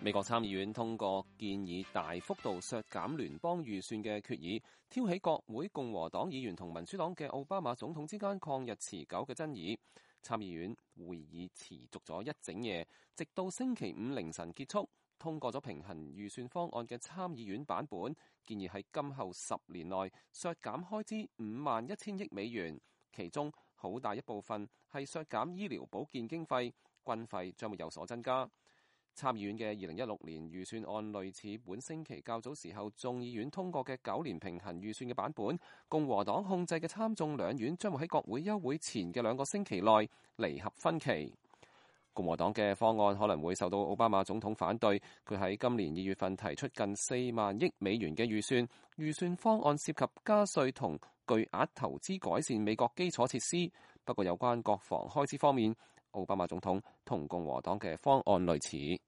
美國參議院通過建議大幅度削減聯邦預算嘅決議，挑起國會共和黨議員同民主黨嘅奧巴馬總統之間曠日持久嘅爭議。參議院會議持續咗一整夜，直到星期五凌晨結束，通過咗平衡預算方案嘅參議院版本，建議喺今後10年內削減開支51,000億美元，其中好大一部分係削減醫療保健經費，軍費將會有所增加。參議院嘅2016年預算案類似本星期較早時候眾議院通過嘅9年平衡預算嘅版本，共和黨控制嘅參眾兩院將會喺國會休會前嘅2個星期內彌合分歧。共和黨嘅方案可能會受到奧巴馬總統反對，佢喺今年2月份提出近4萬億美元嘅預算方案涉及加稅同巨額投資改善美國基礎設施，不過有關國防開支方面，奧巴馬總統同共和黨嘅方案類似。